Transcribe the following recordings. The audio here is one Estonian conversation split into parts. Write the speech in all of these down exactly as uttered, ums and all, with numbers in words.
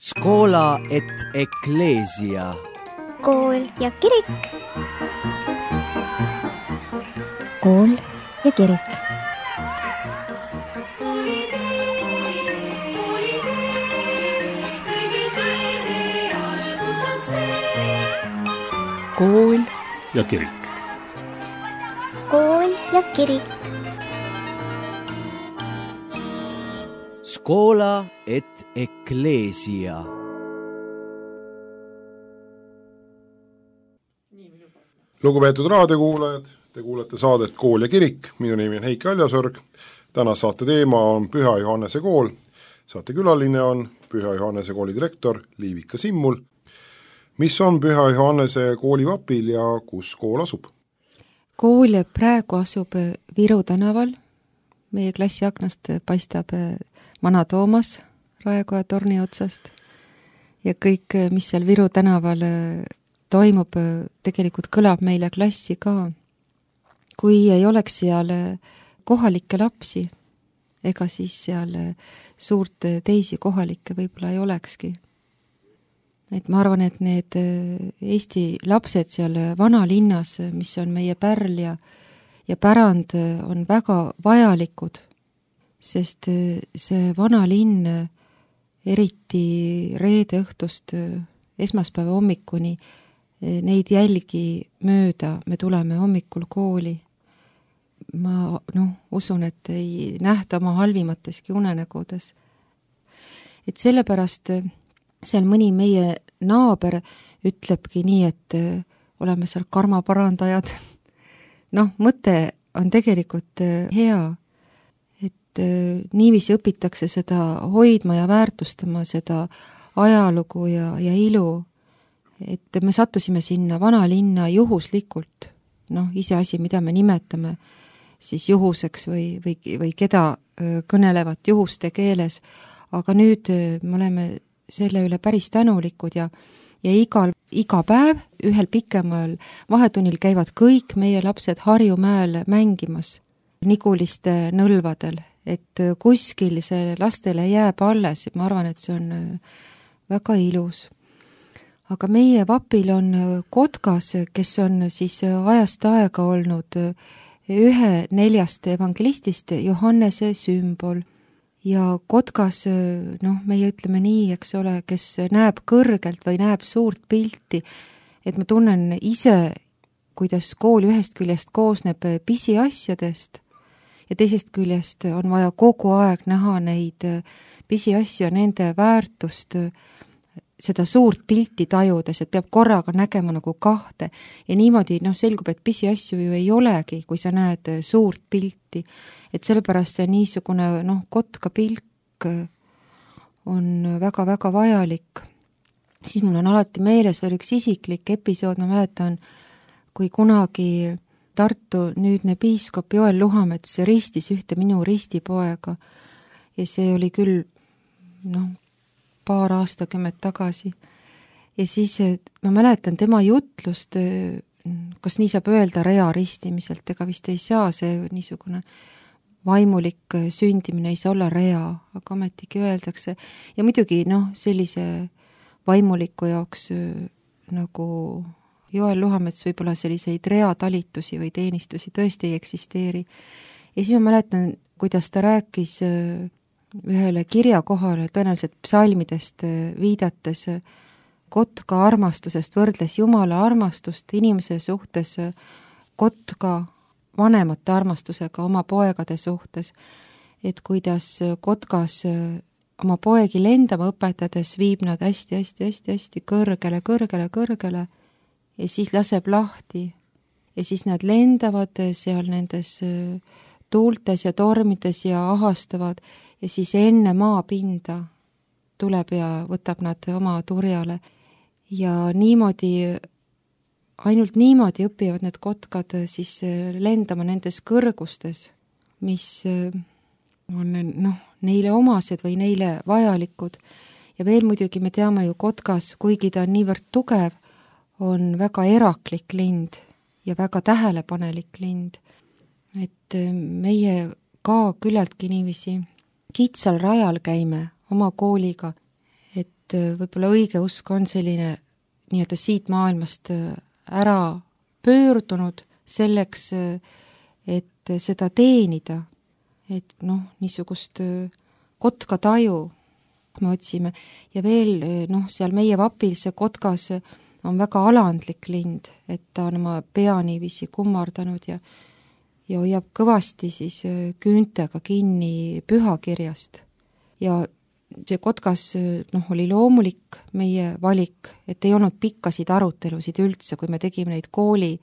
Scola et ecclesia. Kool ja kirik. Kool ja kirik. Kool ja kirik. Kool ja kirik. Scola et ecclesia. Lugupeetud raadiokuulajad, te kuulete saadet Kool ja kirik, minu nimi on Heiki Aljasorg. Täna saate teema on Püha Johannese kool. Saate külaline on Püha Johannese kooli direktor Liivika Simmul. Mis on Püha Johannese kooli vapil ja kus kool asub? Kool praegu asub Viru tänaval. Meie klassi aknast paistab Vana Toomas Raekoja torni otsast. Ja kõik, mis seal Viru tänaval toimub, tegelikult kõlab meile klassi ka. Kui ei oleks seal kohalikke lapsi, ega siis seal suurt teisi kohalikke võib-olla ei olekski. Et ma arvan, et need Eesti lapsed seal vanalinnas, mis on meie pärl ja, ja pärand, on väga vajalikud, sest see vanalinn, eriti reede õhtust esmaspäeva hommikuni, neid jälgi mööda me tuleme hommikul kooli. Ma noh, usun, et ei nähta oma halvimateski unenägudes. Et sellepärast seal mõni meie naaber ütlebki nii, et oleme seal karmaparandajad. Noh, mõte on tegelikult hea, et niiviisi õpitakse seda hoidma ja väärtustama, seda ajalugu ja, ja ilu. Et me sattusime sinna vanalinna juhuslikult, noh, ise asi, mida me nimetame siis juhuseks või, või, või keda kõnelevat juhuste keeles, aga nüüd me oleme selle üle päris tänulikud ja, ja igal, iga päev ühel pikemal vahetunnil käivad kõik meie lapsed Harjumäel mängimas Niguliste nõlvadel, et kuskil see lastele jääb alles, ma arvan, et see on väga ilus. Aga meie vapil on Kotkas, kes on siis ajast aega olnud ühe neljast evangelistist Johannese sümbol. Ja Kotkas, noh, meie ütleme nii, eks ole, kes näeb kõrgelt või näeb suurt pilti, et ma tunnen ise, kuidas kool ühest küljest koosneb pisiasjadest ja teisest küljest on vaja kogu aeg näha neid pisiasju ja nende väärtust, seda suurt pilti tajudes, et peab korraga nägema nagu kahte ja niimoodi noh, selgub, et pisiasju ju ei olegi, kui sa näed suurt pilti, et sellepärast see niisugune noh, Kotka pilk on väga-väga vajalik. Siis mul on alati meeles veel üks isiklik episood, ma mäletan, kui kunagi Tartu nüüdne piiskop Joel Luhamets ristis ühte minu ristipoega ja see oli küll noh, paar aastakümmet tagasi. Ja siis ma mäletan tema jutlust, kas nii saab öelda rea ristimiselt, ega vist ei saa see niisugune vaimulik sündimine ei saa olla rea, aga ametigi öeldakse. Ja muidugi noh, sellise vaimuliku jaoks nagu Joel Luhamets võib-olla selliseid rea talitusi või teenistusi tõesti ei eksisteeri. Ja siis ma mäletan, kuidas ta rääkis ühele kirjakohale, tõenäoliselt psalmidest viidates Kotka armastusest, võrdles Jumala armastust inimese suhtes Kotka vanemate armastusega oma poegade suhtes, et kuidas Kotkas oma poegi lendama õpetades viib nad hästi-hästi-hästi-hästi kõrgele, kõrgele, kõrgele ja siis laseb lahti ja siis nad lendavad seal nendes tuultes ja tormides ja ahastavad ja siis enne maapinda tuleb ja võtab nad oma turjale. Ja niimoodi, ainult niimoodi õpivad need kotkad siis lendama nendes kõrgustes, mis on noh, neile omased või neile vajalikud. Ja veel muidugi me teame ju Kotkas, kuigi ta on niivõrd tugev, on väga eraklik lind ja väga tähelepanelik lind. Et meie ka küllaltki niiviisi kitsal rajal käime oma kooliga, et et võib-olla õigeusk on selline nii-öelda siit maailmast ära pöördunud selleks, et seda teenida, et noh, niisugust kotka taju me otsime ja veel noh, seal meie vapil see kotkas on väga alandlik lind, et ta on oma pea niiviisi kummardanud ja ja hoiab kõvasti siis küüntega kinni pühakirjast. Ja see kotkas noh, oli loomulik meie valik, et ei olnud pikkasid arutelusid üldse, kui me tegime neid kooli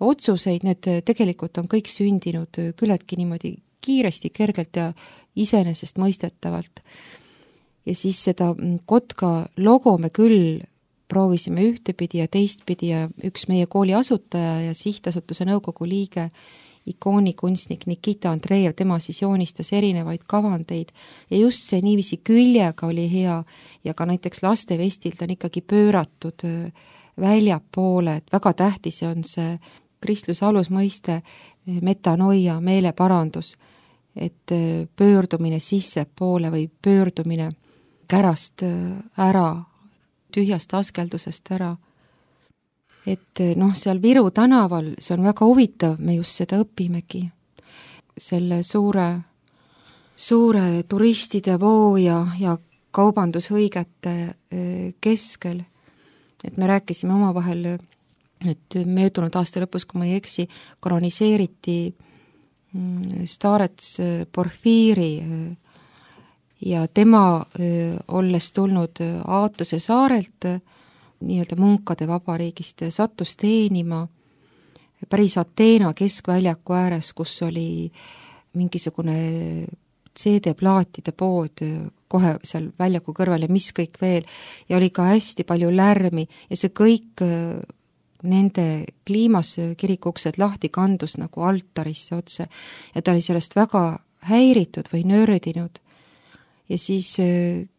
otsuseid, need tegelikult on kõik sündinud küllaltki niimoodi kiiresti, kergelt ja iseenesest mõistetavalt. Ja siis seda kotka logo me küll proovisime ühtepidi ja teistpidi ja üks meie kooli asutaja ja sihtasutuse nõukogu liige ikoonikunstnik Nikita Andreev, tema siis joonistas erinevaid kavandeid ja just see niiviisi küljega oli hea ja ka näiteks lastevestilt on ikkagi pööratud väljapoole, et väga tähtis on see kristluse alusmõiste metanoia, meeleparandus, et pöördumine sissepoole või pöördumine kärast ära, tühjast askeldusest ära. Et noh, seal Viru tänaval, see on väga huvitav, me just seda õpimegi. Selle suure, suure turistide voo ja, ja kaubandushõigete keskel. Et me rääkisime omavahel, et möödunud aasta lõpus, kui ma ei eksi, kanoniseeriti Starets Porfiiri ja tema, olles tulnud Aatuse saarelt, nii-öelda munkade vabariigist, sattus teenima päris Ateena keskväljaku ääres, kus oli mingisugune C D-plaatide pood kohe seal väljaku kõrval ja mis kõik veel, ja oli ka hästi palju lärmi ja see kõik nende kliimas kirikuksed lahti kandus nagu altarisse otse ja ta oli sellest väga häiritud või nördinud. Ja siis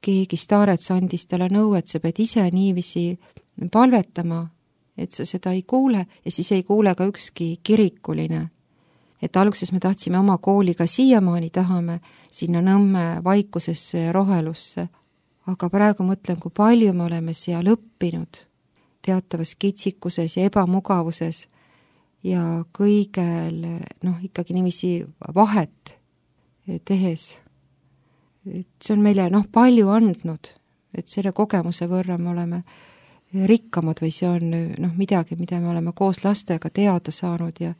keegi Starets andis talle nõu, et sa pead ise niiviisi palvetama, et sa seda ei kuule ja siis ei kuule ka ükski kirikuline. Et alguses me tahtsime oma kooliga siiamaani tahame sinna Nõmme vaikusesse ja rohelusse, aga praegu mõtlen, kui palju me oleme seal õppinud teatavas kitsikuses ja ebamugavuses ja kõigel noh, ikkagi niiviisi vahet tehes. Et see on meile noh, palju andnud, et selle kogemuse võrra me oleme rikkamad või see on noh, midagi, mida me oleme koos lastega teada saanud ja,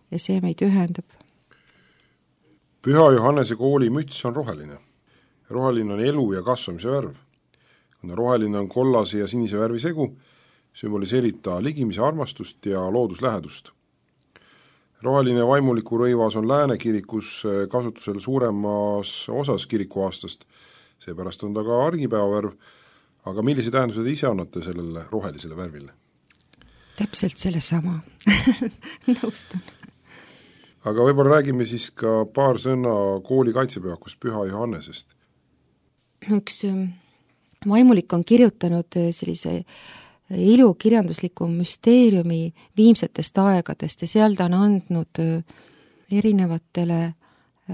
ja see meid ühendab. Püha Johannese kooli müts on roheline. Roheline on elu ja kasvamise värv. Kuna roheline on kollase ja sinise värvi segu, sümboliseerib ta ligimise armastust ja looduslähedust. Roheline vaimuliku rõivas on Lääne kirikus kasutusel suuremas osas kirikuaastast, seepärast on ta ka argipäevavärv, aga millise tähenduse te ise annate sellele rohelisele värvile? Täpselt selle sama. Nõustan. Aga võib-olla räägime siis ka paar sõna kooli kaitsepühakust Püha Johannesest. Üks vaimulik on kirjutanud sellise ilukirjandusliku müsteeriumi viimsetest aegadest ja seal ta on andnud erinevatele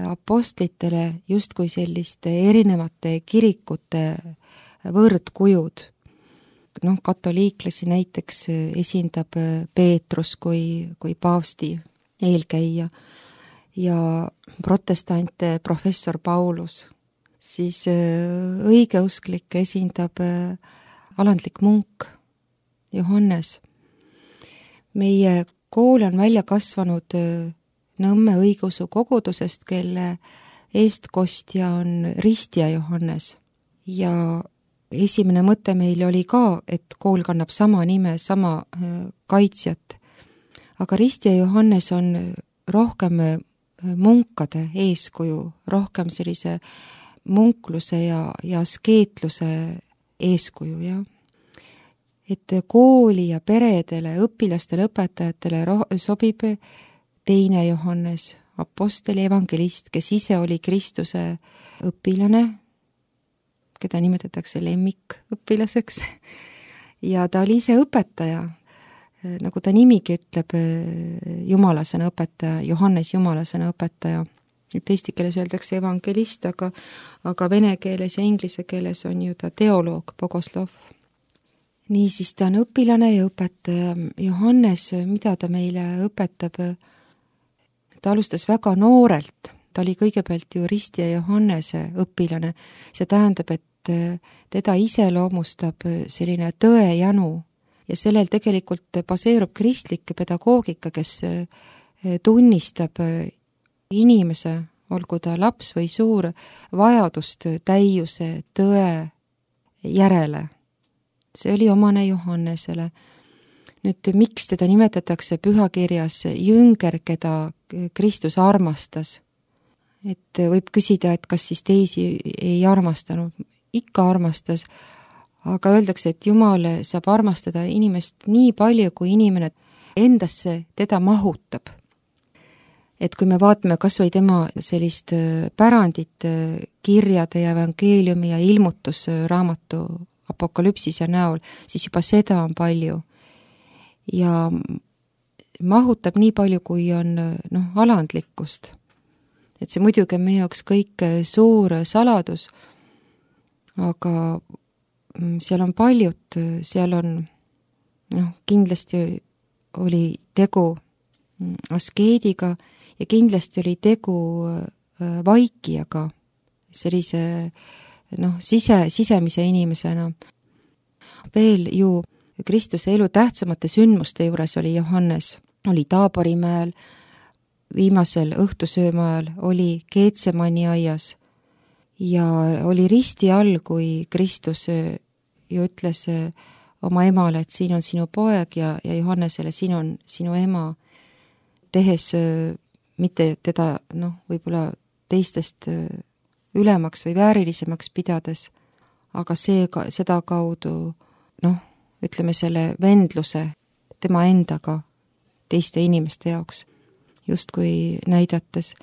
apostlitele justkui selliste erinevate kirikute võrdkujud. Noh, katoliiklasi näiteks esindab Peetrus kui, kui paavsti eelkäija ja protestante professor Paulus. Siis õigeusklik esindab alandlik munk Johannes. Meie kool on välja kasvanud Nõmme õigeusu kogudusest, kelle eestkostja on ristja Johannes. Ja esimene mõte meil oli ka, et kool kannab sama nime, sama kaitsjat. Aga ristja Johannes on rohkem munkade eeskuju, rohkem sellise munkluse ja, ja askeetluse eeskuju, jah. Et kooli ja peredele, õpilastele, õpetajatele sobib teine Johannes, aposteli evangelist, kes ise oli Kristuse õpilane, keda nimetatakse lemmikõpilaseks, ja ta oli ise õpetaja, nagu ta nimigi ütleb, jumalasena õpetaja, Johannes jumalasena õpetaja. et eesti keeles öeldakse evangelist, aga, aga vene keeles ja inglise keeles on ju ta teoloog, bogoslov. Niisiis ta on õpilane ja õpetaja. Johannes, mida ta meile õpetab? Ta alustas väga noorelt, ta oli kõigepealt ju Risti ja Johannese õpilane. See tähendab, et teda iseloomustab selline tõejanu ja sellel tegelikult baseerub kristlik pedagoogika, kes tunnistab inimese, olgu ta laps või suur, vajadust täiuse, tõe järele. See oli omane Johannesele. Nüüd, miks teda nimetatakse pühakirjas jünger, keda Kristus armastas? Et võib küsida, et kas siis teisi ei armastanud. Ikka armastas, aga öeldakse, et Jumal saab armastada inimest nii palju, kui inimene endasse teda mahutab. Et kui me vaatame kas või tema sellist pärandit kirjade ja evangeeliumi ja ilmutusraamatu apokalüpsise näol, siis juba seda on palju. Ja mahutab nii palju, kui on noh, alandlikkust. Et see muidugi on meie jaoks kõik suur saladus, aga seal on paljud, seal on noh, kindlasti oli tegu askeediga ja kindlasti oli tegu vaikijaga, sellise noh, sise, sisemise inimesena. Veel ju Kristuse elu tähtsamate sündmuste juures oli Johannes, oli Taaborimäel, viimasel õhtusöömaajal oli Keetsemani aias ja oli risti all, kui Kristus ju ütles oma emale, et siin on sinu poeg ja, ja Johannesele, siin on sinu ema, tehes mitte teda noh, võib-olla teistest ülemaks või väärilisemaks pidades, aga see, seda kaudu noh, ütleme selle vendluse tema endaga teiste inimeste jaoks, justkui näidates.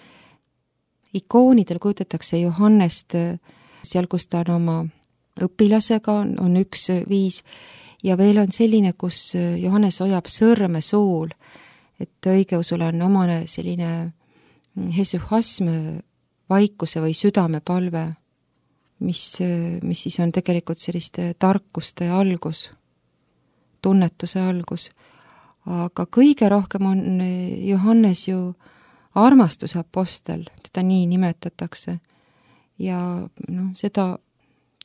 Ikoonidel kujutatakse Johannest seal, kus ta on oma õpilasega, on, on üks viis, ja veel on selline, kus Johannes hoiab sõrme suul, et õigeusule on omane selline hesuhasm, vaikuse või südamepalve, mis, mis siis on tegelikult selliste tarkuste algus, tunnetuse algus. Aga kõige rohkem on Johannes ju armastuse apostel, teda nii nimetatakse. Ja noh, seda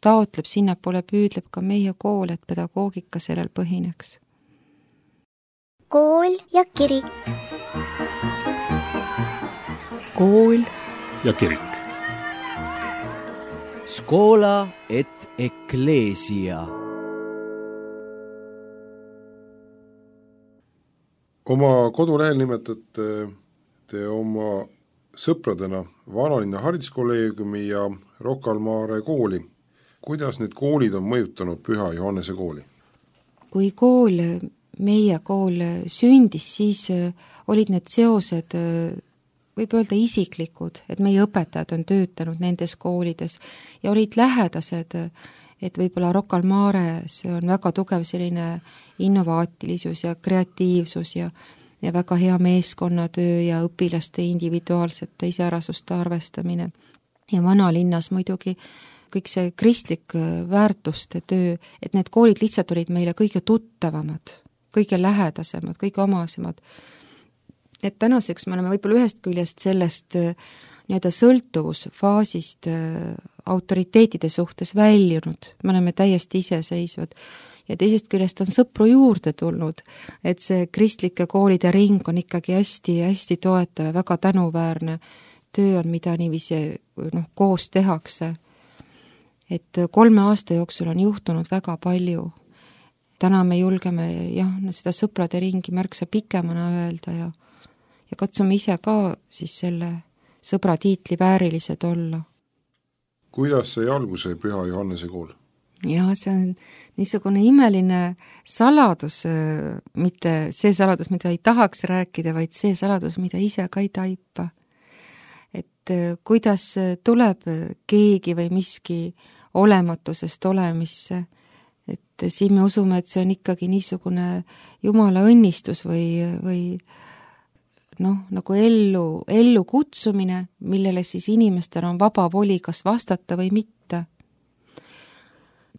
taotleb, sinnapoole püüdleb ka meie kool, et pedagoogika sellel põhineks. Kool ja kirik. Kool ja kirik. Scola et ecclesia. Oma kodulehel nimetate te oma sõpradena Vanalinna hariduskolleegiumi ja Rocca al Mare kooli. Kuidas need koolid on mõjutanud Püha Johannese kooli? Kui kool, meie kool sündis, siis olid need seosed, võib öelda isiklikud, et meie õpetajad on töötanud nendes koolides ja olid lähedased, et võib-olla Rocca al Mares on väga tugev selline innovaatilisus ja kreatiivsus ja, ja väga hea meeskonnatöö ja õpilaste individuaalsete iseärasuste arvestamine. Ja Vanalinnas muidugi kõik see kristlik väärtuste töö, et need koolid lihtsalt olid meile kõige tuttavamad, kõige lähedasemad, kõige omasemad. Et tänaseks me oleme võib-olla ühest küljest sellest nii-öelda sõltuvusfaasist autoriteetide suhtes väljunud, me oleme täiesti iseseisvad ja teisest küljest on sõpru juurde tulnud, et see kristlike koolide ring on ikkagi hästi-hästi toetav ja väga tänuväärne töö on, mida niiviisi noh, koos tehakse. Et kolme aasta jooksul on juhtunud väga palju. Täna me julgeme jah, seda sõprade ringi märksa pikemana öelda ja, ja katsume ise ka siis selle sõbra tiitli väärilised olla. Kuidas sai alguse Püha Johannese kool? Ja see on niisugune imeline saladus, mitte see saladus, mida ei tahaks rääkida, vaid see saladus, mida ise ka ei taipa. Et kuidas tuleb keegi või miski olematusest olemisse, et siin me usume, et see on ikkagi niisugune Jumala õnnistus või, või noh, nagu ellu, ellu kutsumine, millele siis inimestel on vaba voli kas vastata või mitte.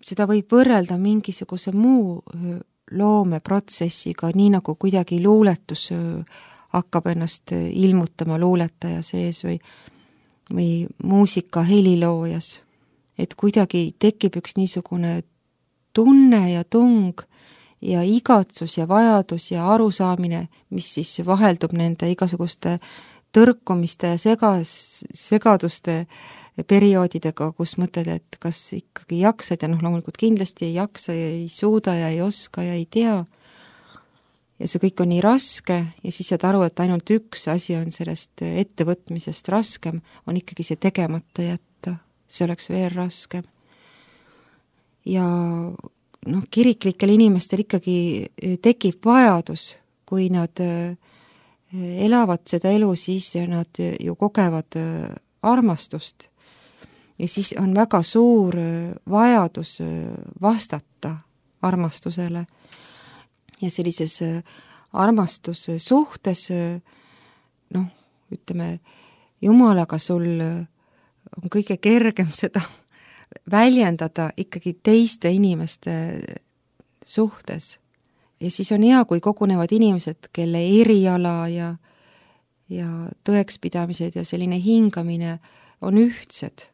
Seda võib võrrelda mingisuguse muu loomeprotsessiga, nii nagu kuidagi luuletus hakkab ennast ilmutama luuletaja sees või, või muusika heliloojas. Et kuidagi tekib üks niisugune tunne ja tung ja igatsus ja vajadus ja arusaamine, mis siis vaheldub nende igasuguste tõrkumiste ja segas, segaduste perioodidega, kus mõtled, et kas ikkagi jaksad ja noh, loomulikult kindlasti ei jaksa ja ei suuda ja ei oska ja ei tea. Ja see kõik on nii raske ja siis saad aru, et ainult üks asi on sellest ettevõtmisest raskem, on ikkagi see tegemata jätta. See oleks veel raskem. Ja noh, kiriklikel inimestel ikkagi tekib vajadus, kui nad elavad seda elu, siis nad ju kogevad armastust. Ja siis on väga suur vajadus vastata armastusele. Ja sellises armastussuhtes, noh, ütleme, Jumalaga sul on kõige kergem seda väljendada ikkagi teiste inimeste suhtes. Ja siis on hea, kui kogunevad inimesed, kelle eriala ja, ja tõekspidamised ja selline hingamine on ühtsed.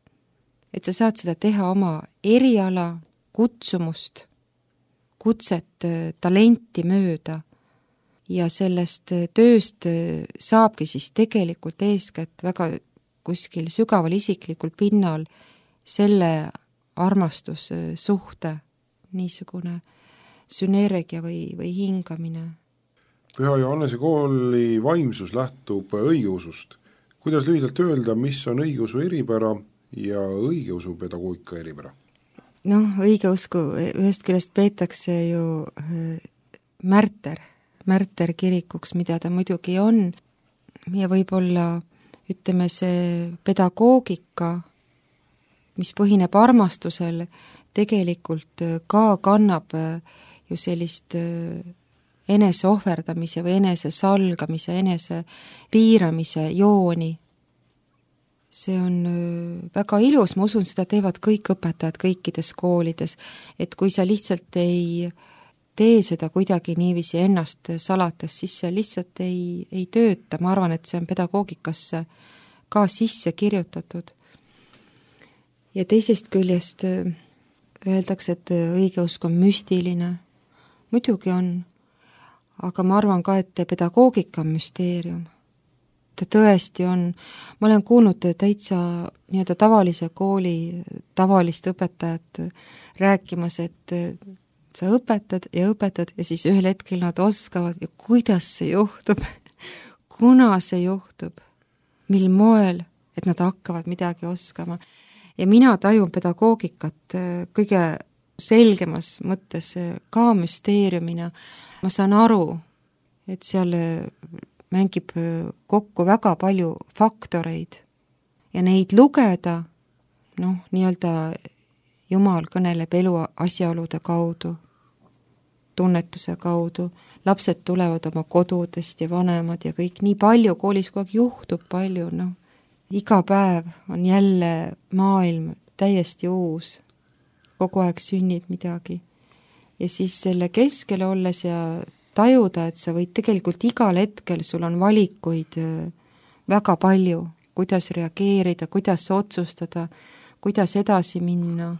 Et sa saad seda teha oma eriala, kutsumust, kutset, talenti mööda ja sellest tööst saabki siis tegelikult eeskätt väga kuskil sügaval isiklikul pinnal selle armastussuhte niisugune sünergia või, või hingamine. Püha Johannese kooli vaimsus lähtub õigeusust. Kuidas lühidalt öelda, mis on õigeusu eripära ja õigeusu pedagoogika eripära? Noh, õigeusku ühest küljest peetakse ju märter, märter kirikuks, mida ta muidugi on, ja võib-olla ütleme see pedagoogika, mis põhineb armastusel, tegelikult ka kannab ju sellist enese ohverdamise või enese salgamise, enese piiramise jooni. See on väga ilus, ma usun, seda teevad kõik õpetajad kõikides koolides, et kui sa lihtsalt ei tee seda kuidagi niiviisi ennast salates, siis see lihtsalt ei, ei tööta. Ma arvan, et see on pedagoogikasse ka sisse kirjutatud. Ja teisest küljest öeldakse, et õigeusk on müstiline. Muidugi on, aga ma arvan ka, et pedagoogika on müsteerium. Ta tõesti on, ma olen kuulnud täitsa nii-öelda tavalise kooli tavalist õpetajat rääkimas, et sa õpetad ja õpetad ja siis ühel hetkel nad oskavad ja kuidas see juhtub, kuna see juhtub, mil moel, et nad hakkavad midagi oskama. Ja mina tajun pedagoogikat kõige selgemas mõttes ka müsteeriumina. Ma saan aru, et seal mängib kokku väga palju faktoreid ja neid lugeda, noh, nii-öelda Jumal kõneleb elu asjaolude kaudu, tunnetuse kaudu, lapsed tulevad oma kodudest ja vanemad ja kõik nii palju, koolis kogu aeg juhtub palju, noh, iga päev on jälle maailm täiesti uus, kogu aeg sünnib midagi. Ja siis selle keskele olles ja tajuda, et sa võid tegelikult igal hetkel, sul on valikuid väga palju, kuidas reageerida, kuidas otsustada, kuidas edasi minna.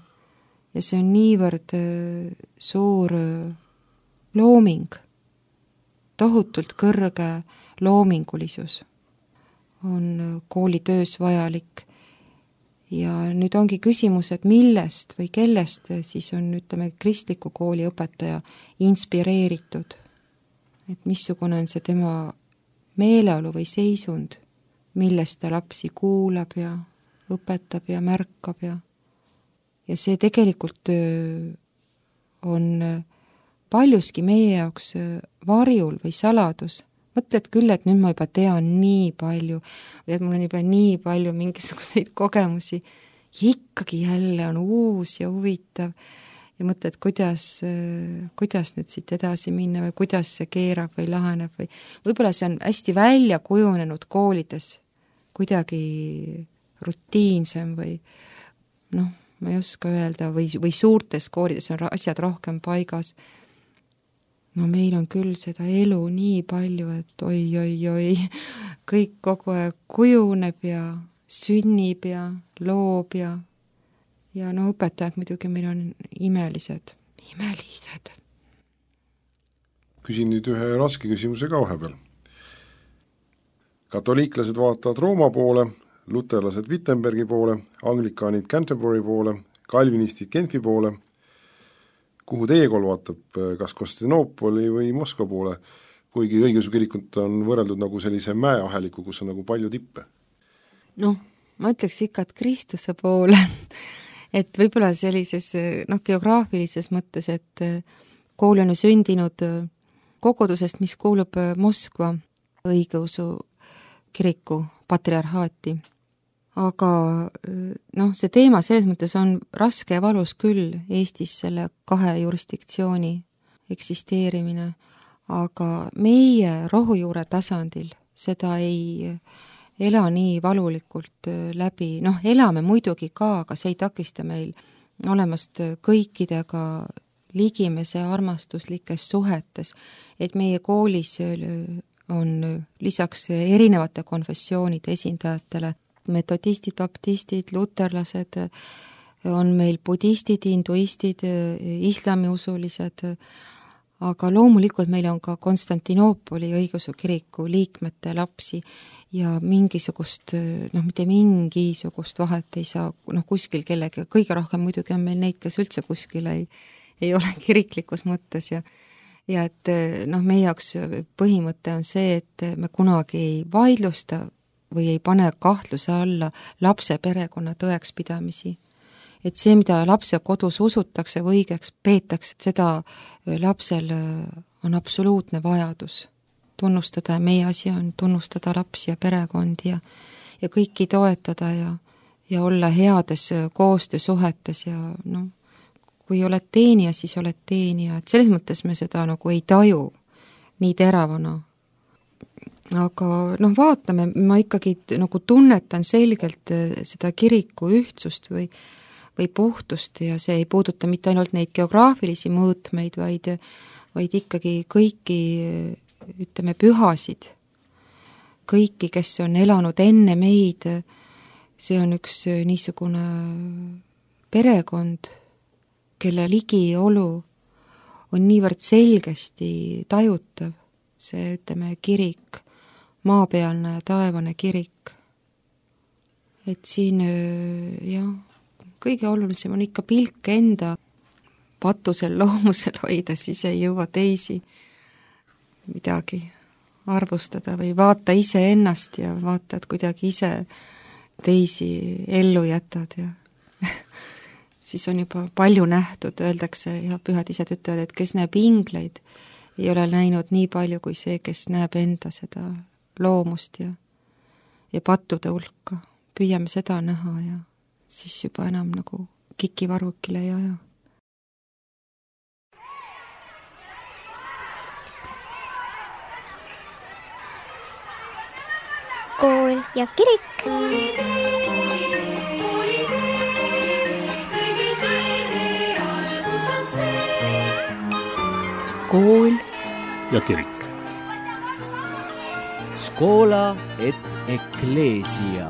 Ja see on niivõrd suur looming, tohutult kõrge loomingulisus on koolitöös vajalik. Ja nüüd ongi küsimus, et millest või kellest siis on, ütleme, kristliku kooli õpetaja inspireeritud. Et missugune on see tema meeleolu või seisund, millest ta lapsi kuulab ja õpetab ja märkab ja ja see tegelikult on paljuski meie jaoks varjul või saladus. Mõtled küll, et nüüd ma juba tean nii palju või et mul on juba nii palju mingisuguseid kogemusi ja ikkagi jälle on uus ja huvitav. Ja ja mõtled, kuidas, kuidas nüüd siit edasi minna või kuidas see keerab või laheneb või võib-olla see on hästi välja kujunenud koolides kuidagi rutiinsem või noh, ma ei oska öelda, või, või suurtes koolides on asjad rohkem paigas. No meil on küll seda elu nii palju, et oi, oi, oi, kõik kogu aeg kujuneb ja sünnib ja loob ja ja no õpetajad muidugi meil on imelised, imelised. Küsin nüüd ühe raske küsimuse ka vahepeal. Katoliiklased vaatavad Rooma poole, luterlased Wittenbergi poole, anglikaanid Canterbury poole, kalvinistid Genfi poole. Kuhu teie kool vaatab, kas Konstantinoopoli või Moskva poole, kuigi õigeusu kirikut on võrreldud nagu sellise mäeaheliku, kus on nagu palju tippe? Noh, ma ütleks ikka, et Kristuse poole, et võib-olla sellises noh, geograafilises mõttes, et kool on ju sündinud kogudusest, mis kuulub Moskva õigeusu kiriku patriarhaati. Aga noh, see teema selles mõttes on raske ja valus küll Eestis selle kahe jurisdiktsiooni eksisteerimine, aga meie rohujuure tasandil seda ei ela nii valulikult läbi, noh, elame muidugi ka, aga see ei takista meil olemast kõikidega ligimese armastuslikes suhetes, et meie koolis on lisaks erinevate konfessioonide esindajatele metodistid, baptistid, luterlased, on meil budistid, hinduistid, islamiusulised, aga loomulikult meil on ka Konstantinoopoli õigeusu kiriku liikmete lapsi ja mingisugust, noh, mitte mingisugust vahet ei saa, noh, kuskil kellegi, kõige rohkem muidugi on meil neid, kes üldse kuskil ei, ei ole kiriklikus mõttes ja ja et noh, meie jaoks põhimõte on see, et me kunagi ei vaidlusta või ei pane kahtluse alla lapse perekonna tõekspidamisi. Et see, mida lapse kodus usutakse või õigeks peetakse, seda lapsel on absoluutne vajadus tunnustada ja meie asi on tunnustada lapsi ja perekondi ja, ja kõiki toetada ja, ja olla heades koostöösuhetes ja noh, kui oled teenija, siis oled teenija, et selles mõttes me seda nagu ei taju nii teravana. Aga noh, vaatame, ma ikkagi nagu tunnetan selgelt seda kiriku ühtsust või, või puhtust ja see ei puuduta mitte ainult neid geograafilisi mõõtmeid, vaid, vaid ikkagi kõiki, ütleme, pühasid, kõiki, kes on elanud enne meid, see on üks niisugune perekond, kelle ligiolu on niivõrd selgesti tajutav, see, ütleme, kirik, maapealne ja taevane kirik. Et siin, jah, kõige olulisem on ikka pilk enda patusel loomusel hoida, siis ei jõua teisi midagi arvustada või vaata ise ennast ja vaata, et kuidagi ise teisi ellu jätad ja siis on juba palju nähtud, öeldakse ja pühad ised ütlevad, et kes näeb ingleid, ei ole näinud nii palju kui see, kes näeb enda seda loomust ja, ja pattude hulka. Püüame seda näha ja siis juba enam nagu kikivarvukile ei aja. Kool ja kirik. Kool ja kirik. Scola et ecclesia.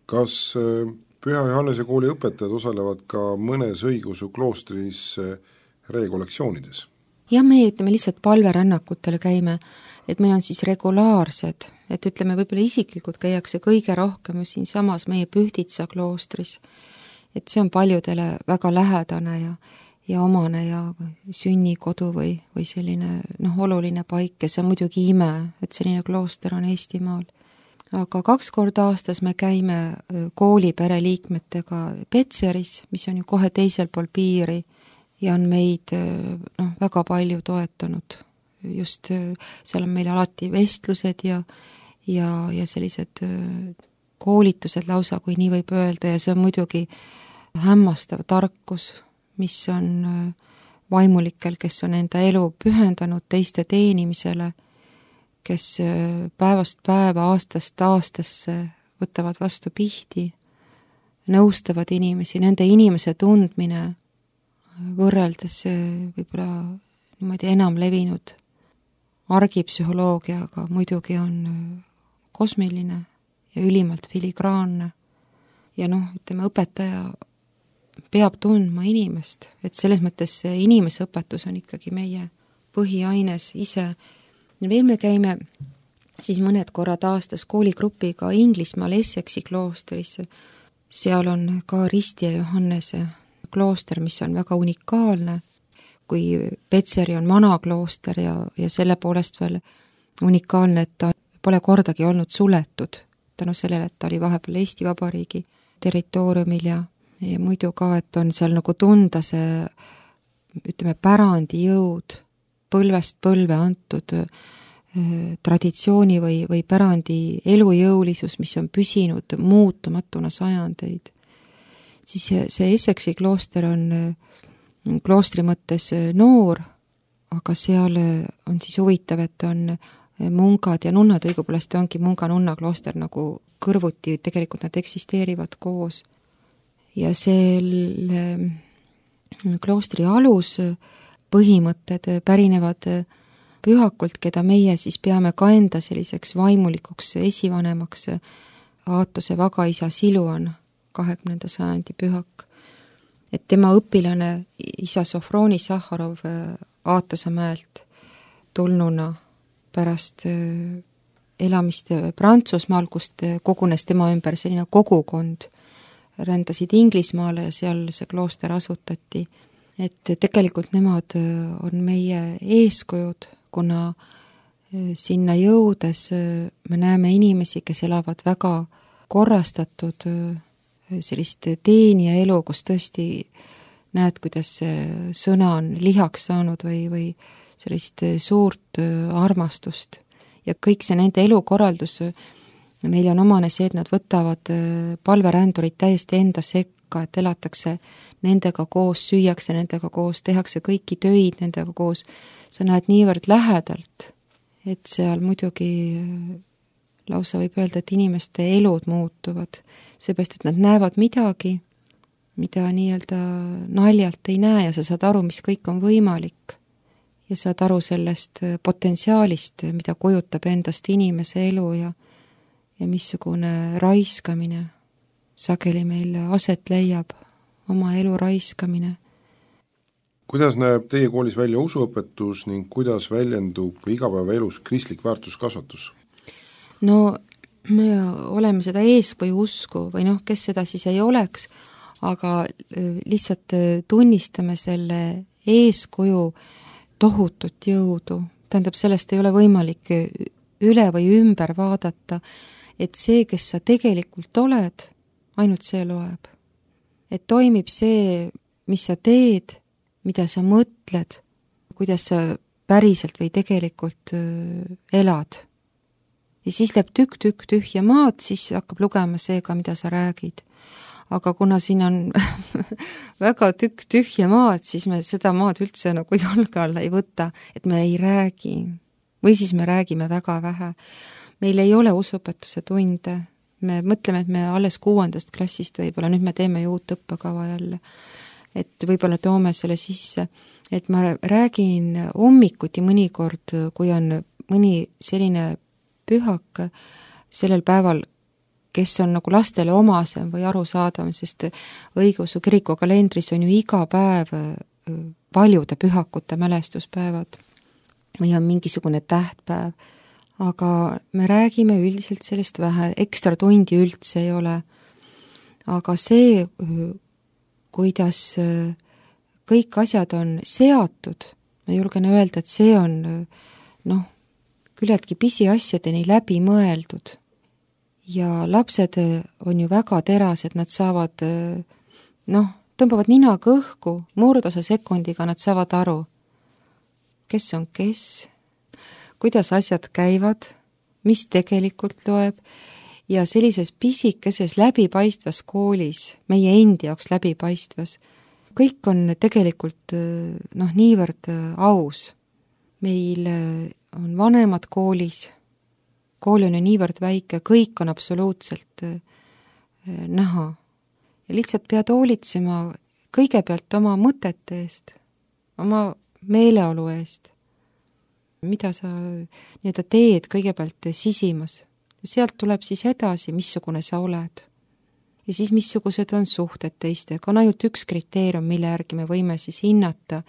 Kas Püha Johannese kooli õpetajad osalevad ka mõnes õigeusu kloostris rekollektsioonides? Ja me ütleme lihtsalt palverännakutele käime, et meil on siis regulaarsed, et ütleme, võib-olla isiklikult käiakse kõige rohkem siin samas meie Pühtitsa kloostris, et see on paljudele väga lähedane ja, ja omane ja sünnikodu või, või selline noh, oluline paik ja see on muidugi ime, et selline klooster on Eestimaal. Aga kaks korda aastas me käime koolipere liikmetega Petseris, mis on ju kohe teisel pool piiri ja on meid noh, väga palju toetanud. Just seal on meil alati vestlused ja, ja, ja sellised koolitused lausa, kui nii võib öelda, ja see on muidugi hämmastav tarkus, mis on vaimulikel, kes on enda elu pühendanud teiste teenimisele, kes päevast päeva, aastast aastasse võtavad vastu pihti, nõustavad inimesi, nende inimese tundmine võrreldes võib-olla niimoodi enam levinud argipsühholoogiaga muidugi on kosmiline ja ülimalt filigraanne. Ja noh, ütleme, õpetaja peab tundma inimest, et selles mõttes see inimeseõpetus on ikkagi meie põhiaines ise. Veel me käime siis mõned korrad aastas kooligrupiga Inglismaal Essexi kloostrisse. Seal on ka Risti ja Johannese klooster, mis on väga unikaalne, kui Petseri on vana klooster ja, ja selle poolest veel unikaalne, et ta pole kordagi olnud suletud, tänu sellele, et ta oli vahepeal Eesti Vabariigi territooriumil ja, ja muidu ka, et on seal nagu tunda see, ütleme, pärandi jõud, põlvest põlve antud eh, traditsiooni või, või pärandi elujõulisus, mis on püsinud muutumatuna sajandeid. Siis see, see Essexi klooster on kloostri mõttes noor, aga seal on siis huvitav, et on mungad ja nunnad, õigupoolest ongi munga-nunna klooster nagu kõrvuti, tegelikult nad eksisteerivad koos. Ja selle kloostri alus põhimõtted pärinevad pühakult, keda meie siis peame ka enda selliseks vaimulikuks esivanemaks, Aatose vagaisa Siluan, kahekümnenda sajandi pühak. Et tema õpilane isa Sofroni Sahharov Aatose mäelt tulnuna pärast elamist Prantsusmaal, kust kogunes tema ümber selline kogukond, rändasid Inglismaale ja seal see klooster asutati. Et tegelikult nemad on meie eeskujud, kuna sinna jõudes me näeme inimesi, kes elavad väga korrastatud sellist teenija elu, kus tõesti näed, kuidas see sõna on lihaks saanud või, või sellist suurt armastust. Ja kõik see nende elukorraldus, neil on omane see, et nad võtavad palverändurid täiesti enda sekka, et elatakse nendega koos, süüakse nendega koos, tehakse kõiki töid nendega koos. Sa näed niivõrd lähedalt, et seal muidugi lausa võib öelda, et inimeste elud muutuvad, seepärast, et nad näevad midagi, mida nii-öelda naljalt ei näe ja sa saad aru, mis kõik on võimalik. Ja saad aru sellest potentsiaalist, mida kujutab endast inimese elu ja, ja missugune raiskamine sageli meil aset leiab, oma elu raiskamine. Kuidas näeb teie koolis välja usuõpetus ning kuidas väljendub igapäevaelus kristlik väärtuskasvatus? No me oleme seda eeskuju usku või noh, kes seda siis ei oleks, aga lihtsalt tunnistame selle eeskuju tohutut jõudu. Tähendab, sellest ei ole võimalik üle või ümber vaadata, et see, kes sa tegelikult oled, ainult see loeb. Et toimib see, mis sa teed, mida sa mõtled, kuidas sa päriselt või tegelikult elad. Ja siis läheb tükk-tükk tühja maad, siis hakkab lugema see ka, mida sa räägid. Aga kuna siin on väga tükk tühja maad, siis me seda maad üldse nagu jalge alla ei võta, et me ei räägi. Või siis me räägime väga vähe. Meil ei ole usuõpetuse tunde. Me mõtleme, et me alles kuuendast klassist võib-olla, nüüd me teeme ju uut õppekava jälle. Et võib-olla toome selle sisse. Et ma räägin hommikuti mõnikord, kui on mõni selline pühak sellel päeval, kes on nagu lastele omasem või arusaadav, sest õigeusu kiriku kalendris on ju iga päev paljude pühakute mälestuspäevad või on mingisugune tähtpäev, aga me räägime üldiselt sellest vähe, ekstra tundi üldse ei ole. Aga see, kuidas kõik asjad on seatud, ma julgen öelda, et see on noh, küllaltki pisiasjadeni läbi mõeldud. Ja lapsed on ju väga terased, nad saavad, noh, tõmbavad ninaga õhku, murdosa sekundiga nad saavad aru, kes on kes, kuidas asjad käivad, mis tegelikult loeb ja sellises pisikeses läbipaistvas koolis, meie endi jaoks läbipaistvas, kõik on tegelikult noh, niivõrd aus. Meil on vanemad koolis, kool on ju niivõrd väike, kõik on absoluutselt näha. Ja lihtsalt pead hoolitsema kõigepealt oma mõtete eest, oma meeleolu eest, mida sa nii-öelda teed kõigepealt sisimas. Sealt tuleb siis edasi, missugune sa oled. Ja siis missugused on suhted teistega. On ainult üks kriteerium, mille järgi me võime siis hinnata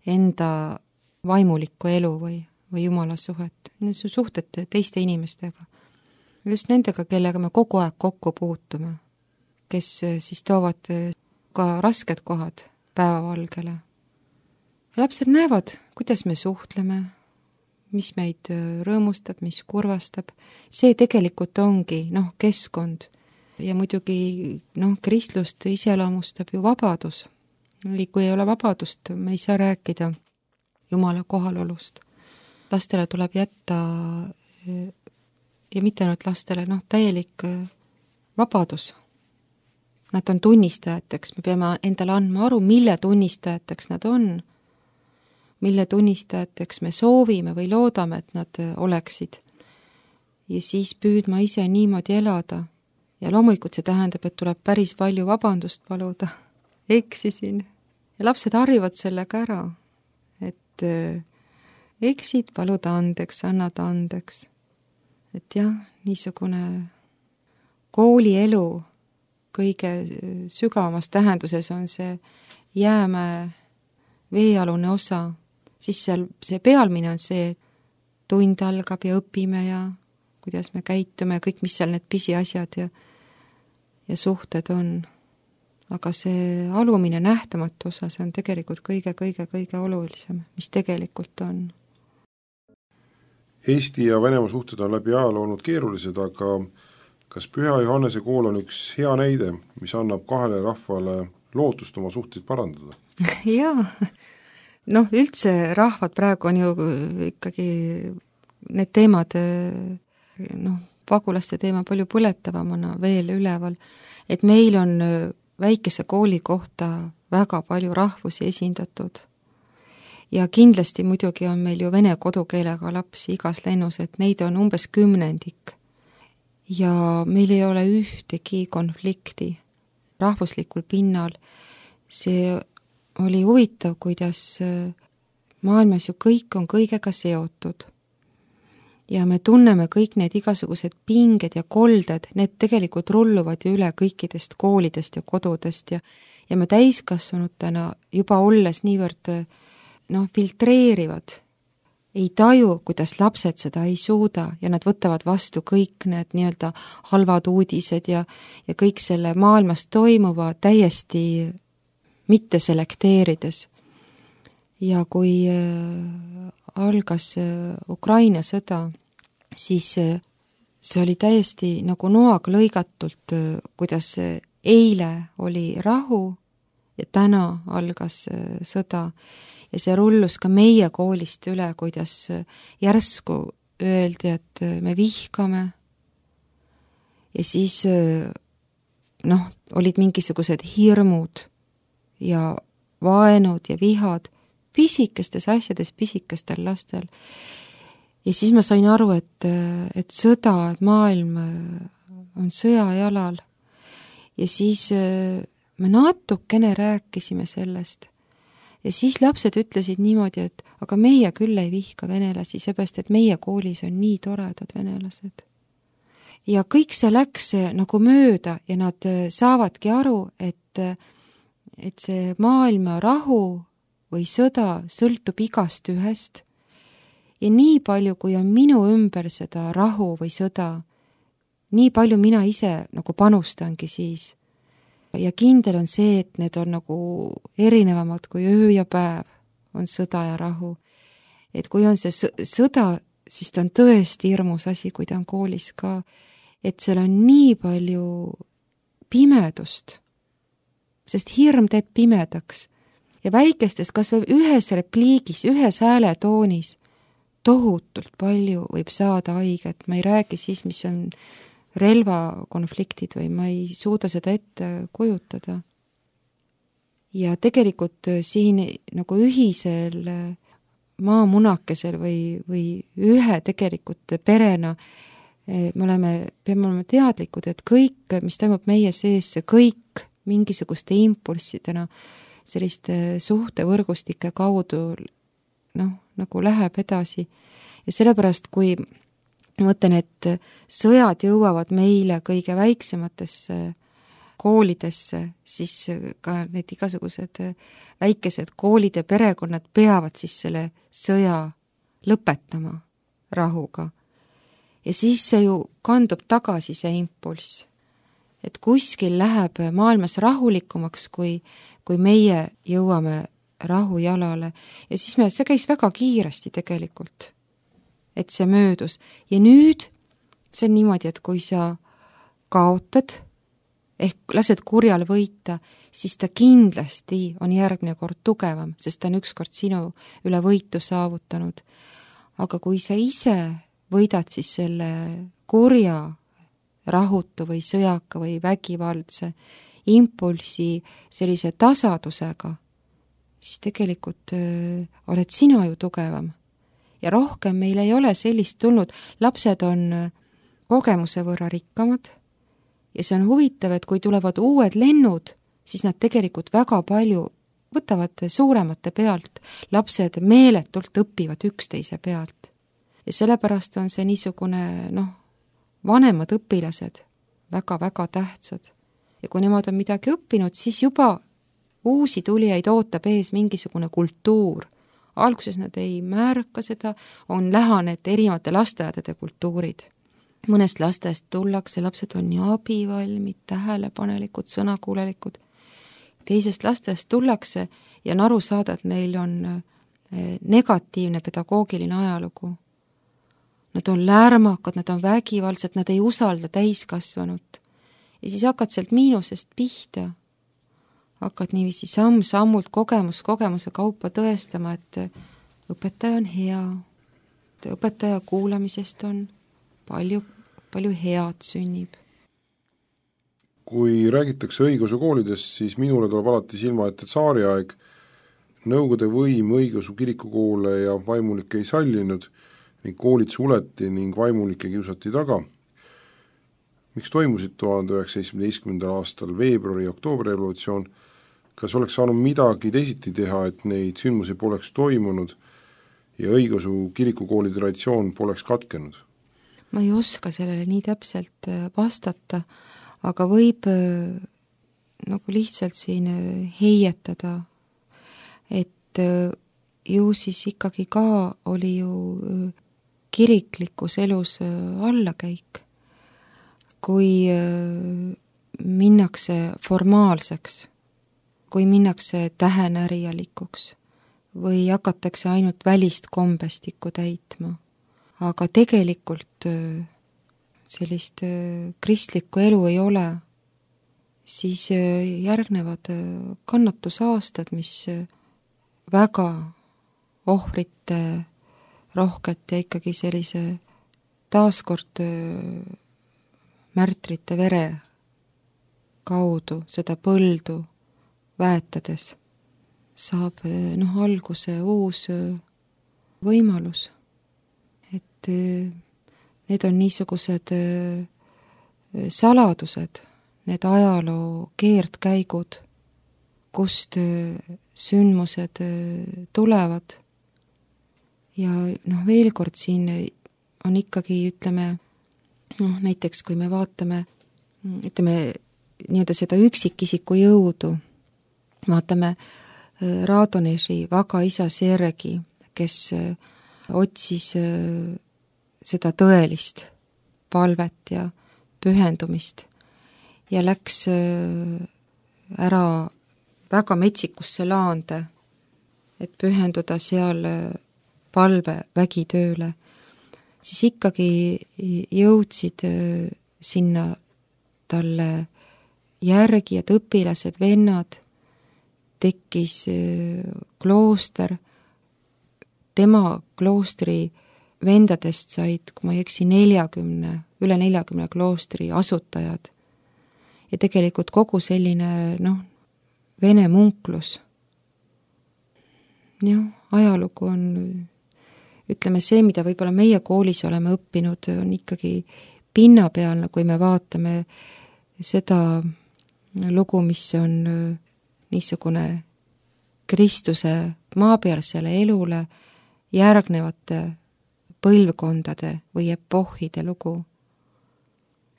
enda vaimulikku elu või, või Jumala suhet. Need on suhted teiste inimestega. Just nendega, kellega me kogu aeg kokku puutume, kes siis toovad ka rasked kohad päevavalgele. Ja lapsed näevad, kuidas me suhtleme, mis meid rõõmustab, mis kurvastab. See tegelikult ongi noh, keskkond. Ja muidugi noh, kristlust iseloomustab ju vabadus. Kui ei ole vabadust, me ei saa rääkida Jumala kohalolust. Lastele tuleb jätta, ja mitte ainult lastele, noh, täielik vabadus. Nad on tunnistajateks, me peame endale andma aru, mille tunnistajateks nad on, mille tunnistajateks me soovime või loodame, et nad oleksid. Ja siis püüdma ise niimoodi elada. Ja loomulikult see tähendab, et tuleb päris palju vabandust paluda. Eksisin. Ja lapsed harjuvad sellega ära, et eksid, paluda andeks, annada andeks. Et jah, niisugune koolielu kõige sügavamas tähenduses on see jäämäe veealune osa. Siis seal see pealmine on see, tund algab ja õpime ja kuidas me käitume ja kõik, mis seal need pisiasjad ja, ja suhted on. Aga see alumine nähtamatu osa, see on tegelikult kõige-kõige-kõige olulisem, mis tegelikult on. Eesti ja Venemaa suhted on läbi ajaloo olnud keerulised, aga kas Püha Johannese kool on üks hea näide, mis annab kahele rahvale lootust oma suhteid parandada? Jaa, noh, üldse rahvad praegu on ju ikkagi need teemad, noh, pagulaste teema palju põletavamana veel üleval, et meil on väikese kooli kohta väga palju rahvusi esindatud. Ja kindlasti muidugi on meil ju vene kodukeelega lapsi igas lennus, et neid on umbes kümnendik. Ja meil ei ole ühtegi konflikti rahvuslikul pinnal. See oli huvitav, kuidas maailmas ju kõik on kõigega seotud. Ja me tunneme kõik need igasugused pinged ja kolded, need tegelikult rulluvad ju üle kõikidest koolidest ja kodudest ja, ja me täiskasvanutena juba olles niivõrd noh, filtreerivad, ei taju, kuidas lapsed seda ei suuda ja nad võtavad vastu kõik need nii-öelda halvad uudised ja, ja kõik selle maailmas toimuva täiesti mitte selekteerides. Ja kui algas Ukraina sõda, siis see oli täiesti nagu noaga lõigatult, kuidas eile oli rahu ja täna algas sõda. Ja see rullus ka meie koolist üle, kuidas järsku öeldi, et me vihkame. Ja siis noh, olid mingisugused hirmud ja vaenud ja vihad pisikestes asjades, pisikestel lastel. Ja siis ma sain aru, et, et sõda, et maailm on sõjajalal. Ja siis me natukene rääkisime sellest. Ja siis lapsed ütlesid niimoodi, et aga meie küll ei vihka venelasi, seepärast, et meie koolis on nii toredad venelased. Ja kõik see läks nagu mööda ja nad saavadki aru, et, et see maailma rahu või sõda sõltub igast ühest. Ja nii palju, kui on minu ümber seda rahu või sõda, nii palju mina ise nagu panustangi siis. Ja kindel on see, et need on nagu erinevamad kui öö ja päev on sõda ja rahu. Et kui on see sõda, siis ta on tõesti hirmus asi, kui ta on koolis ka. Et seal on nii palju pimedust, sest hirm teeb pimedaks. Ja väikestes, kas või ühes repliigis, ühes hääletoonis tohutult palju võib saada haiget. Ma ei räägi siis, mis on relvakonfliktid või ma ei suuda seda ette kujutada. Ja tegelikult siin nagu ühisel maamunakesel või, või ühe tegelikult perena me oleme, peame olema teadlikud, et kõik, mis toimub meie sees, see kõik mingisuguste impulssidena selliste suhtevõrgustike kaudu noh, nagu läheb edasi. Ja sellepärast, kui ma mõtlen, et sõjad jõuavad meile kõige väiksematesse koolidesse, siis ka need igasugused väikesed koolid ja perekonnad peavad siis selle sõja lõpetama rahuga. Ja siis see ju kandub tagasi see impulss, et kuskil läheb maailmas rahulikumaks, kui, kui meie jõuame rahujalale. Ja siis me, see käis väga kiiresti tegelikult, et see möödus. Ja nüüd see on niimoodi, et kui sa kaotad, ehk lased kurjal võita, siis ta kindlasti on järgmine kord tugevam, sest ta on ükskord sinu üle võitu saavutanud. Aga kui sa ise võidad siis selle kurja, rahutu või sõjaka või vägivaldse impulsi sellise tasadusega, siis tegelikult öö, oled sina ju tugevam. Ja rohkem meil ei ole sellist tulnud. Lapsed on kogemuse võrra rikkamad ja see on huvitav, et kui tulevad uued lennud, siis nad tegelikult väga palju võtavad suuremate pealt. Lapsed meeletult õpivad üksteise pealt. Ja sellepärast on see niisugune, noh, vanemad õpilased väga-väga tähtsad. Ja kui nemad on midagi õppinud, siis juba uusi tulijaid ootab ees mingisugune kultuur. Alguses nad ei märka seda, on lähaned erinevate lasteaedade kultuurid. Mõnest lastest tullakse, lapsed on nii abivalmid, tähelepanelikud, sõnakuulelikud. Teisest lastest tullakse ja on aru saada, et neil on negatiivne pedagoogiline ajalugu. Nad on lärmakad, nad on vägivaldsed, nad ei usalda täiskasvanut. Ja siis hakkad sealt miinusest pihta. Hakkad niiviisi samm-sammult kogemus kogemuse kaupa tõestama, et õpetaja on hea, et õpetaja kuulamisest on palju, palju head sünnib. Kui räägitakse õigeusu koolidest, siis minule tuleb alati silma ette tsaariaeg. Nõukogude võim õigeusu kirikukoole ja vaimulikke ei sallinud ning koolid suleti ning vaimulikke kiusati taga. Miks toimusid tuhande üheksasaja seitsmeteistkümnendal aastal veebruari ja oktoobri revolutsioon? Kas oleks saanud midagi teisiti teha, et neid sündmusi poleks toimunud ja õigeusu kirikukooli traditsioon poleks katkenud? Ma ei oska sellele nii täpselt vastata, aga võib nagu lihtsalt siin heietada, et ju siis ikkagi ka oli ju kiriklikus elus allakäik. Kui minnakse formaalseks, kui minnakse tähenärijalikuks või hakatakse ainult välist kombestikku täitma, aga tegelikult sellist kristlikku elu ei ole, siis järgnevad kannatusaastad, mis väga ohvrite rohket ja ikkagi sellise taaskord märtrite vere kaudu seda põldu väetades saab noh, alguse uus võimalus. Et need on niisugused saladused, need ajaloo keerdkäigud, kust sündmused tulevad. Ja noh, veel kord siin on ikkagi, ütleme, noh, näiteks kui me vaatame, ütleme, nii-öelda seda üksikisiku jõudu, vaatame Radoneži Vaga isa Sergi, kes otsis seda tõelist palvet ja pühendumist ja läks ära väga metsikusse laande, et pühenduda seal palve vägitööle, siis ikkagi jõudsid sinna talle järgijad, õpilased, vennad, tekkis klooster, tema kloostri vendadest said, kui ma ei eksi, neljakümne, üle neljakümne kloostri asutajad. Ja tegelikult kogu selline, noh, vene munklus. Jah, ajalugu on, ütleme see, mida võib-olla meie koolis oleme õppinud, on ikkagi pinnapealne, kui me vaatame seda lugu, mis on niisugune Kristuse maapealsele elule järgnevate põlvkondade või epohhide lugu.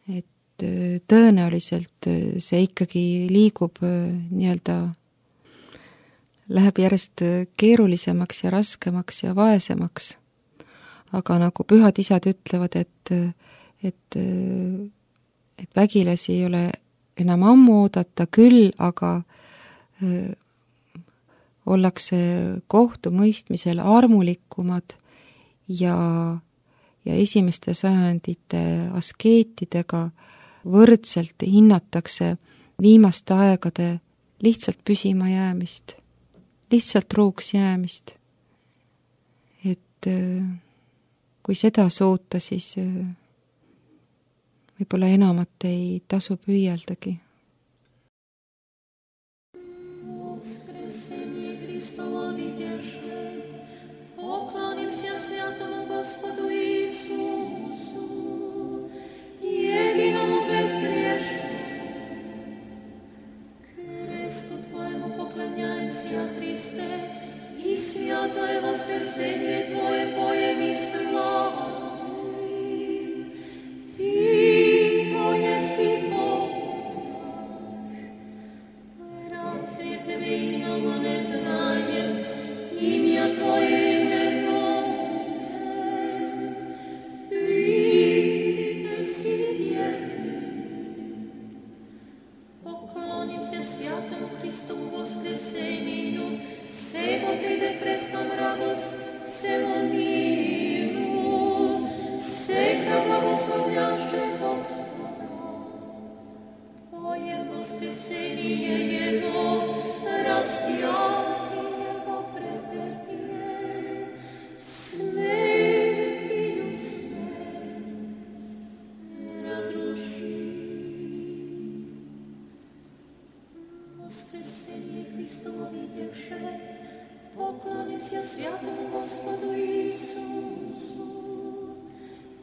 Et tõenäoliselt see ikkagi liigub nii-öelda, läheb järjest keerulisemaks ja raskemaks ja vaesemaks. Aga nagu pühad isad ütlevad, et, et, et vägilasi ei ole enam ammu oodata küll, aga ollakse kohtumõistmisel armulikumad ja, ja esimeste sajandite askeetidega võrdselt hinnatakse viimaste aegade lihtsalt püsima jäämist, lihtsalt truuks jäämist. Et kui seda suuta, siis võib-olla enamat ei tasu püüeldagi. Святое воскресение Твое поем и славим. Ты, Твое си Бог наш, разве Тебе иного не знаем, имя Твое именуем. Приди си верни, поклонимся святому Христову воскресению, сего приде престом радость всему миру, всегда благословляще Господа. Поем воскресение Его, распятие Его претерпел, смертью смерть разрушил. Воскресение Христово видевше, поклонимся святому Господу Иисусу,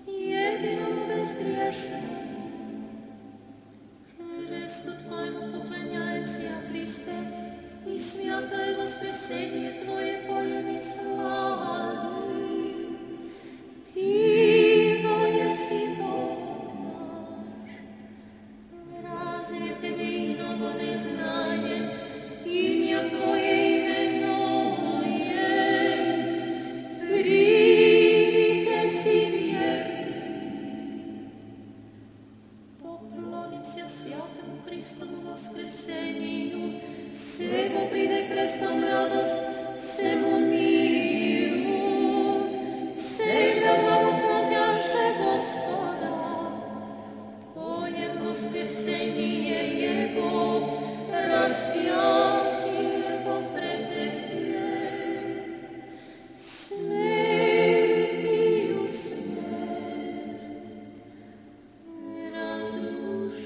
единому безгрешному. Кресту Твоему поклоняемся, Христе, и святое воскресение Твое поем и славим. Ты, Твое си Бог наш, разве Тебе иного не знаем, имя Твое воскресению, сего приде крестом радость всему миру, всегда благословляще Господа. Поем воскресение Его, распятие Его претерпел, смертью смерть разрушил.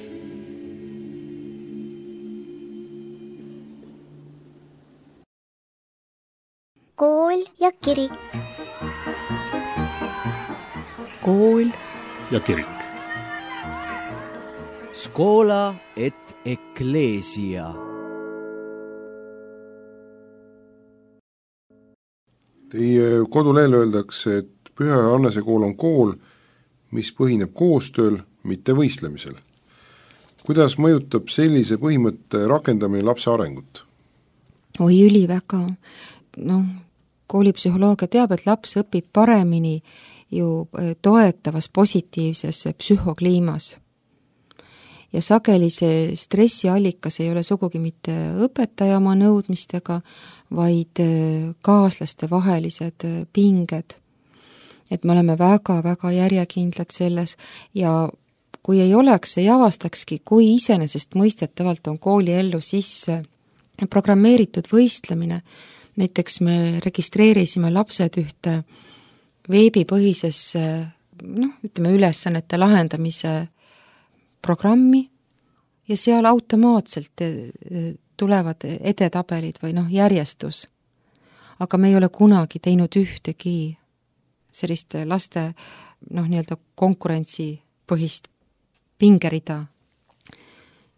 Kool ja kirik. Kool ja kirik. Scola et ecclesia. Teie kodulehel öeldakse, et Püha Johannese kool on kool, mis põhineb koostööl, mitte võistlemisel. Kuidas mõjutab sellise põhimõtte rakendamine lapse arengut? Oi, üli väga. No, koolipsühholoogia teab, et laps õpib paremini ju toetavas positiivses psühhokliimas. Ja sageli see stressiallikas ei ole sugugi mitte õpetaja oma nõudmistega, vaid kaaslaste vahelised pinged. Et me oleme väga-väga järjekindlad selles ja kui ei oleks, ei avastakski, kui iseenesest mõistetavalt on kooli ellu sisse programmeeritud võistlemine. Näiteks me registreerisime lapsed ühte veebipõhisesse noh, ütleme ülesannete lahendamise programmi ja seal automaatselt tulevad edetabelid või noh, järjestus. Aga me ei ole kunagi teinud ühtegi sellist laste noh, nii-öelda konkurentsipõhist pingerida.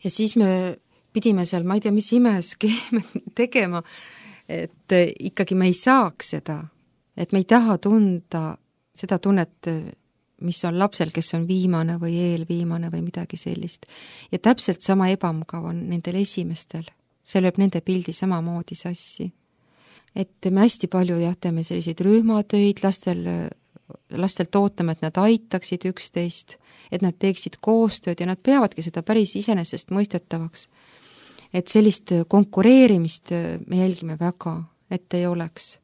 Ja siis me pidime seal, ma ei tea, mis imeskeeme tegema, et ikkagi me ei saaks seda, et me ei taha tunda seda tunnet, mis on lapsel, kes on viimane või eelviimane või midagi sellist. Ja täpselt sama ebamugav on nendel esimestel. See lööb nende pildi samamoodi sassi. Et me hästi palju jah, teeme selliseid rühmatöid, lastel, lastelt ootame, et nad aitaksid üksteist, et nad teeksid koostööd ja nad peavadki seda päris iseenesest mõistetavaks. Et sellist konkureerimist me jälgime väga, et ei oleks.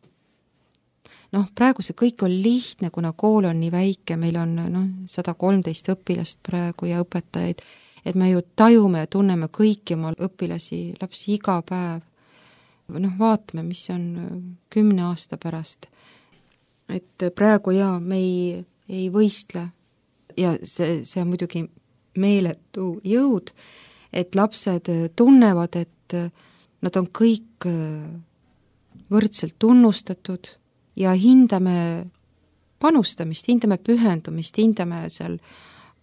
Noh, praegu see kõik on lihtne, kuna kool on nii väike, meil on noh, sada kolmteist õpilast praegu ja õpetajaid, et me ju tajume ja tunneme kõiki oma õpilasi, lapsi iga päev. Noh, vaatame, mis on kümne aasta pärast. Et praegu jaa, me ei, ei võistle ja see, see on muidugi meeletu jõud, et lapsed tunnevad, et nad on kõik võrdselt tunnustatud ja hindame panustamist, hindame pühendumist, hindame seal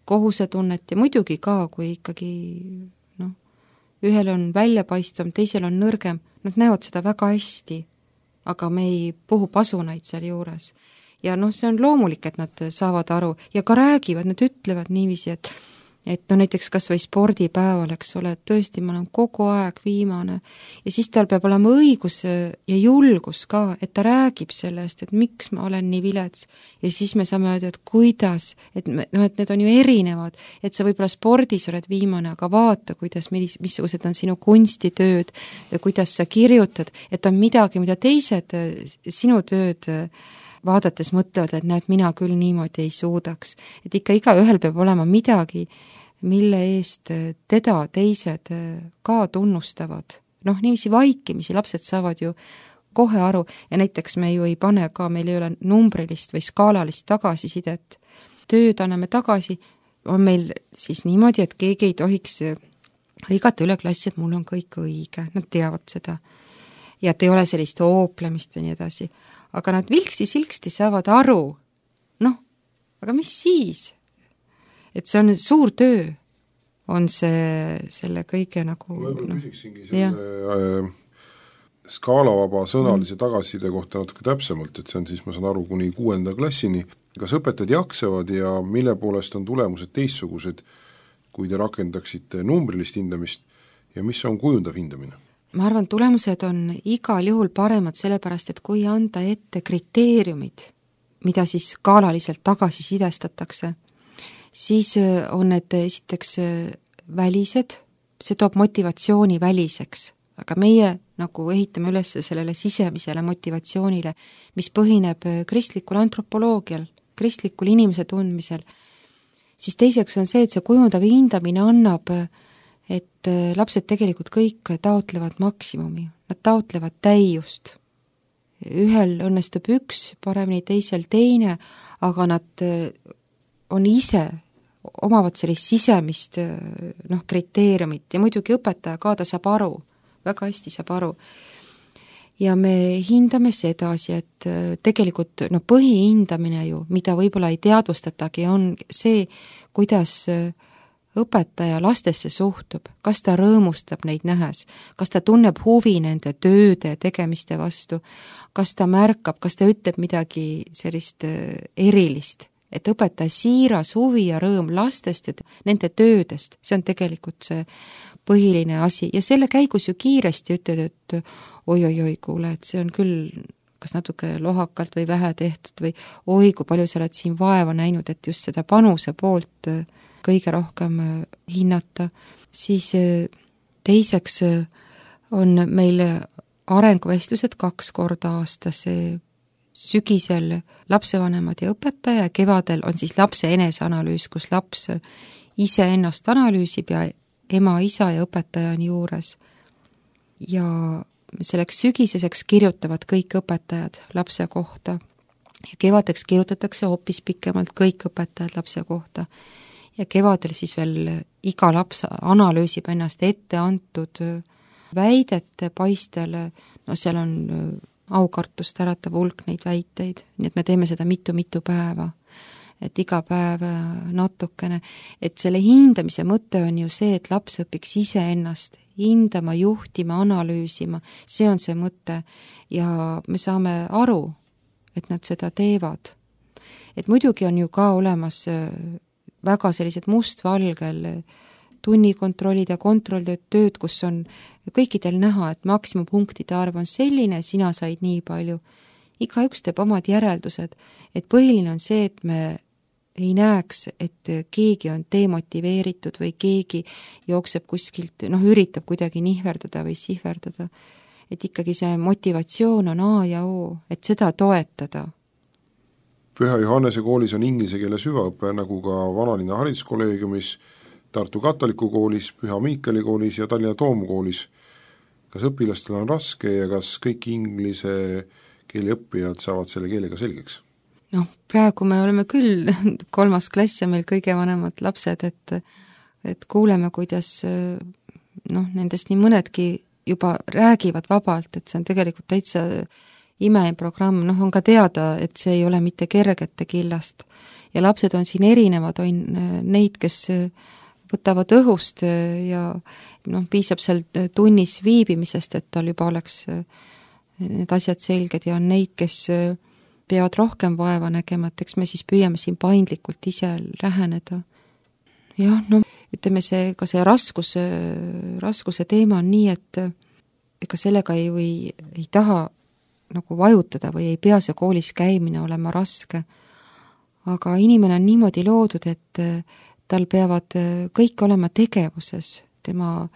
kohusetunnet ja muidugi ka, kui ikkagi noh, ühel on väljapaistvam, teisel on nõrgem, nad näevad seda väga hästi, aga me ei puhu pasunaid seal juures. Ja noh, see on loomulik, et nad saavad aru ja ka räägivad, nad ütlevad niiviisi, et et no näiteks kas või spordipäeval, eks ole, et tõesti ma olen kogu aeg viimane ja siis tal peab olema õigus ja julgus ka, et ta räägib sellest, et miks ma olen nii vilets ja siis me saame öelda, et kuidas, et, me, no, et need on ju erinevad, et sa võib-olla spordis oled viimane, aga vaata, kuidas, mis, missugused on sinu kunstitööd ja kuidas sa kirjutad, et on midagi, mida teised sinu tööd vaadates mõtlevad, et näed, mina küll niimoodi ei suudaks. Et ikka iga ühel peab olema midagi, mille eest teda teised ka tunnustavad. Noh, niiviisi vaikimisi lapsed saavad ju kohe aru ja näiteks me ju ei pane ka, meil ei ole numbrilist või skaalalist tagasisidet. Tööd anname tagasi, on meil siis niimoodi, et keegi ei tohiks hõigata üle klassi, et mul on kõik õige, nad teavad seda. Ja et ei ole sellist ooplemist ja nii edasi. Aga nad vilksti-silksti saavad aru. Noh, aga mis siis? Et see on suur töö, on see selle kõige nagu... Ma võib-olla no, küsiksingi selle äh, skaalavaba sõnalise mm. tagasiside kohta natuke täpsemalt, et see on siis, ma saan aru, kuni kuuenda klassini. Kas õpetajad jaksavad ja mille poolest on tulemused teistsugused, kui te rakendaksite numbrilist hindamist ja mis on kujundav hindamine? Ma arvan, tulemused on igal juhul paremad sellepärast, et kui anda ette kriteeriumid, mida siis skaalaliselt tagasisidestatakse, siis on need esiteks välised, see toob motivatsiooni väliseks, aga meie nagu ehitame üles sellele sisemisele motivatsioonile, mis põhineb kristlikul antropoloogial, kristlikul inimese tundmisel, siis teiseks on see, et see kujundav hindamine annab, et lapsed tegelikult kõik taotlevad maksimumi, nad taotlevad täiust. Ühel õnnestub üks, paremini teisel teine, aga nad on ise, omavad sellist sisemist noh, kriteeriumit ja muidugi õpetaja ka, ta saab aru, väga hästi saab aru. Ja me hindame sedasi, et tegelikult no, põhihindamine ju, mida võib-olla ei teadvustatagi, on see, kuidas õpetaja lastesse suhtub, kas ta rõõmustab neid nähes, kas ta tunneb huvi nende tööde tegemiste vastu, kas ta märkab, kas ta ütleb midagi sellist erilist, et õpetaja siiras huvi ja rõõm lastest ja nende töödest, see on tegelikult see põhiline asi ja selle käigus ju kiiresti ütled, et oi-oi-oi, kuule, et see on küll kas natuke lohakalt või vähe tehtud või oi, kui palju sa oled siin vaeva näinud, et just seda panuse poolt kõige rohkem hinnata, siis teiseks on meil arenguvestlused kaks korda aastas, sügisel lapsevanemad ja õpetaja ja kevadel on siis lapse eneseanalüüs, kus laps ise ennast analüüsib ja ema, isa ja õpetaja on juures. Ja selleks sügiseseks kirjutavad kõik õpetajad lapse kohta ja kevadeks kirjutatakse hoopis pikemalt kõik õpetajad lapse kohta. Ja kevadel siis veel iga laps analüüsib ennast ette antud väidete paistel, no seal on aukartust äratav hulk neid väiteid, nii et me teeme seda mitu-mitu päeva, et iga päev natukene, et selle hindamise mõte on ju see, et laps õpiks ise ennast hindama, juhtima, analüüsima, see on see mõte ja me saame aru, et nad seda teevad. Et muidugi on ju ka olemas väga sellised mustvalgel tunnikontrollid ja kontrolltööd tööd, kus on kõikidel näha, et maksimumpunktide arv on selline, sina said nii palju. Igaüks teeb omad järeldused, et põhiline on see, et me ei näeks, et keegi on demotiveeritud või keegi jookseb kuskilt, noh, üritab kuidagi nihverdada või sihverdada. Et ikkagi see motivatsioon on A ja O, et seda toetada. Püha Johannese koolis on inglise keele süvaõpe, nagu ka Vanalinna hariduskolleegiumis, Tartu katoliku koolis, Püha Miikali koolis ja Tallinna Toomkoolis. Kas õpilastel on raske ja kas kõik inglise keele õppijad saavad selle keelega selgeks? Noh, praegu me oleme küll kolmas klass ja meil kõige vanemad lapsed, et, et kuuleme, kuidas noh, nendest nii mõnedki juba räägivad vabalt, et see on tegelikult täitsa imeprogramm, noh on ka teada, et see ei ole mitte kergete killast. Ja lapsed on siin erinevad, on neid, kes võtavad õhust ja noh, piisab seal tunnis viibimisest, et tal juba oleks need asjad selged ja on neid, kes peavad rohkem vaeva nägema, et eks me siis püüame siin paindlikult ise läheneda. Jah, no ütleme see, ka see raskuse, raskuse teema on nii, et ega sellega ei, või, ei taha nagu vajutada või ei pea see koolis käimine olema raske. Aga inimene on niimoodi loodud, et tal peavad kõik olema tegevuses, tema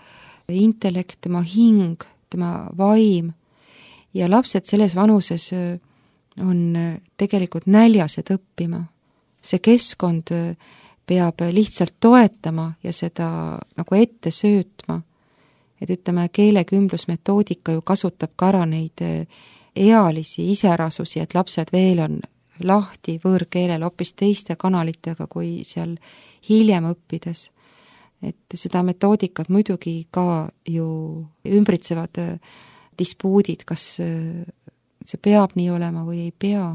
intellekt, tema hing, tema vaim ja lapsed selles vanuses on tegelikult näljased õppima. See keskkond peab lihtsalt toetama ja seda nagu ette söötma. Et ütleme, keelekümblusmetoodika ju kasutab ka ära neid ealisi iserasusi, et lapsed veel on lahti võõrkeelel hoopis teiste kanalitega kui seal hiljem õppides. Et seda metoodikat muidugi ka ju ümbritsevad dispuudid, kas see peab nii olema või ei pea.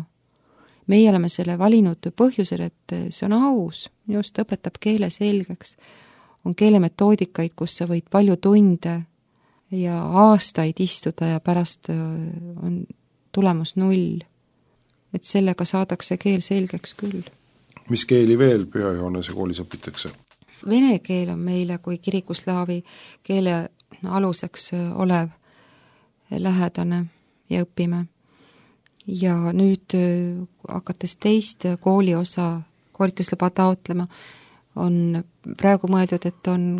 Meie oleme selle valinud põhjusel, et see on aus, just õpetab keele selgeks. On keelemetoodikaid, kus sa võid palju tunde ja aastaid istuda ja pärast on tulemus null. Et sellega saadakse keel selgeks küll. Mis keeli veel Püha Johannese koolis õpitakse? Vene keel on meile kui kirikuslaavi keele aluseks olev lähedane ja õpime. Ja nüüd hakates teist kooli osa koolitusluba taotlema, on praegu mõeldud, et on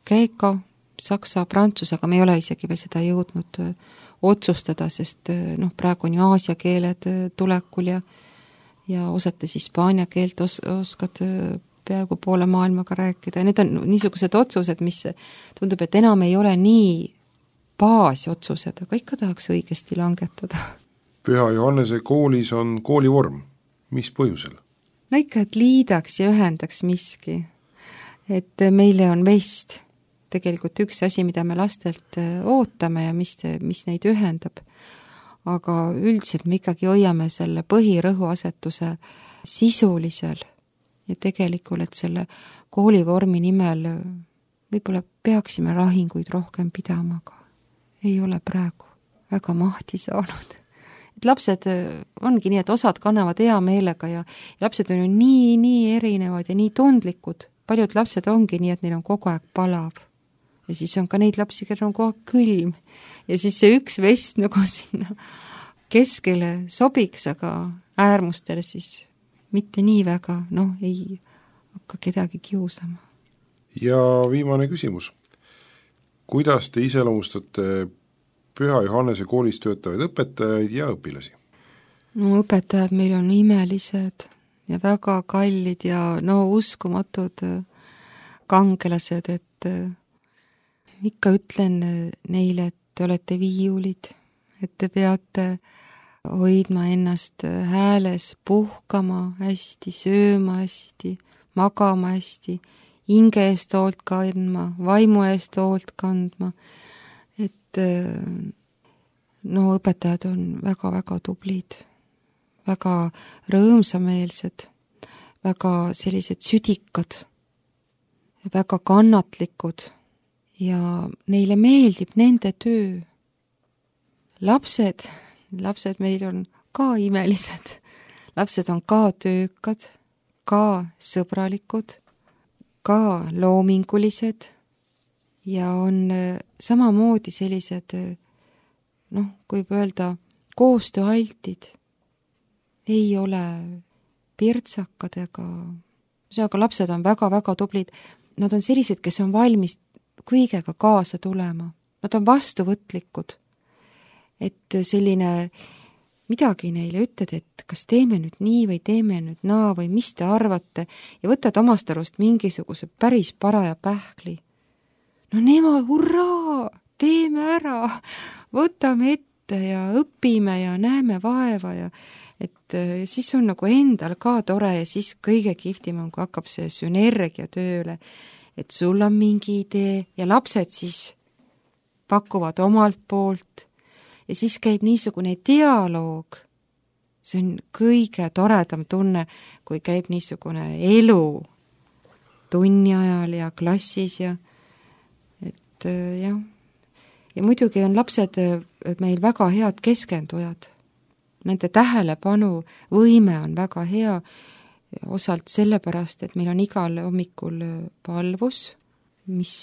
kreeka, saksa, prantsuse, aga me ei ole isegi veel seda jõudnud otsustada, sest noh, praegu on ju aasia keeled tulekul ja, ja osates hispaania keelt os- oskad peaaegu poole maailmaga rääkida. Need on niisugused otsused, mis tundub, et enam ei ole nii baasotsused, aga ikka tahaks õigesti langetada. Püha Johannese koolis on koolivorm. Mis põhjusel? No ikka, et liidaks ja ühendaks miski. Et meile on vest tegelikult üks asi, mida me lastelt ootame ja mis, mis neid ühendab. Aga üldiselt me ikkagi hoiame selle põhirõhuasetuse sisulisel ja tegelikult, et selle koolivormi nimel võib-olla peaksime lahinguid rohkem pidama, aga ei ole praegu väga mahti saanud. Et lapsed ongi nii, et osad kannavad hea meelega ja, ja lapsed on ju nii, nii erinevad ja nii tundlikud. Paljud lapsed ongi nii, et neil on kogu aeg palav. Ja siis on ka neid lapsi, kellel on kogu aeg külm. Ja siis see üks vest nagu sinna keskele sobiks, aga äärmustel siis mitte nii väga, noh, ei hakka kedagi kiusama. Ja viimane küsimus. Kuidas te iseloomustate Püha Johannese koolis töötavaid õpetajaid ja õpilasi? No õpetajad meil on imelised ja väga kallid ja no uskumatud kangelased, et ikka ütlen neile, et te olete viiulid, et te peate hoidma ennast hääles, puhkama hästi, sööma hästi, magama hästi, hinge eest hoolt kandma, vaimu eest hoolt kandma, et no õpetajad on väga-väga tublid, väga rõõmsameelsed, väga sellised südikad, väga kannatlikud ja neile meeldib nende töö. Lapsed, lapsed meil on ka imelised, lapsed on ka töökad, ka sõbralikud, ka loomingulised ja on samamoodi sellised, noh, kui öelda, koostööaltid, ei ole pirtsakad ega, aga lapsed on väga-väga tublid, nad on sellised, kes on valmis kõigega kaasa tulema, nad on vastuvõtlikud, et selline midagi neile ütled, et kas teeme nüüd nii või teeme nüüd naa või mis te arvate ja võtad omast arust mingisuguse päris paraja pähkli. No nemad, hurraa, teeme ära, võtame ette ja õpime ja näeme vaeva ja et siis on nagu endal ka tore ja siis kõige kihvtim on, kui hakkab see sünergia tööle, et sul on mingi idee ja lapsed siis pakuvad omalt poolt ja siis käib niisugune dialoog. See on kõige toredam tunne, kui käib niisugune elu tunni ajal ja klassis ja et jah. Ja muidugi on lapsed meil väga head keskendujad. Nende tähelepanu võime on väga hea, osalt sellepärast, et meil on igal hommikul palvus, mis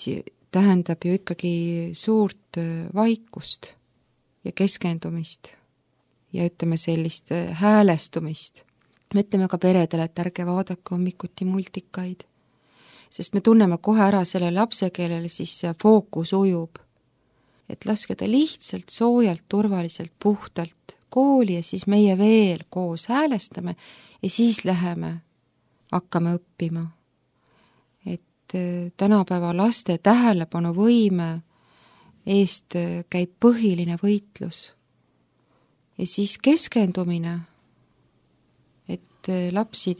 tähendab ju ikkagi suurt vaikust ja keskendumist ja ütleme sellist häälestumist. Me ütleme ka peredele, et ärge vaadake hommikuti multikaid, sest me tunneme kohe ära selle lapse, kellele siis fookus ujub. Et laske ta lihtsalt soojalt, turvaliselt, puhtalt kooli ja siis meie veel koos häälestame ja siis läheme, hakkame õppima. Et tänapäeva laste tähelepanu võime eest käib põhiline võitlus. Ja siis keskendumine, et lapsi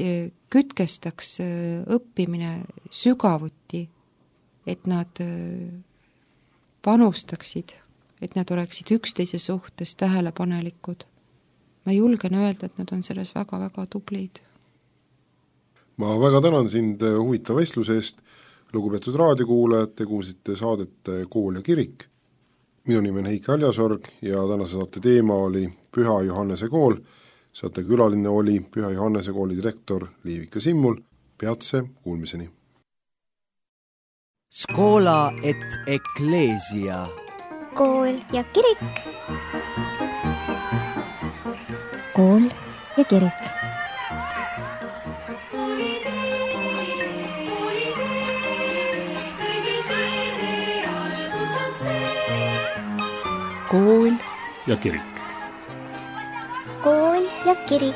kütkestaks õppimine sügavuti, et nad panustaksid, et nad oleksid üksteise suhtes tähelepanelikud. Ma julgen öelda, et nad on selles väga-väga tublid. Ma väga tänan sind huvitava vestluse eest. Lugupeetud raadiokuulajad, te kuulsite saadet Kool ja kirik. Minu nimi on Heiki Aljasorg ja tänase saate teema oli Püha Johannese kool. Saate külaline oli Püha Johannese kooli direktor Liivika Simmul. Peatse kuulmiseni. Skola et Ecclesia. Kool ja kirik. Kool ja kirik. Kool ja kirik. Kool ja kirik.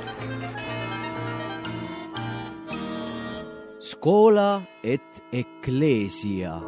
Skola et Ecclesia.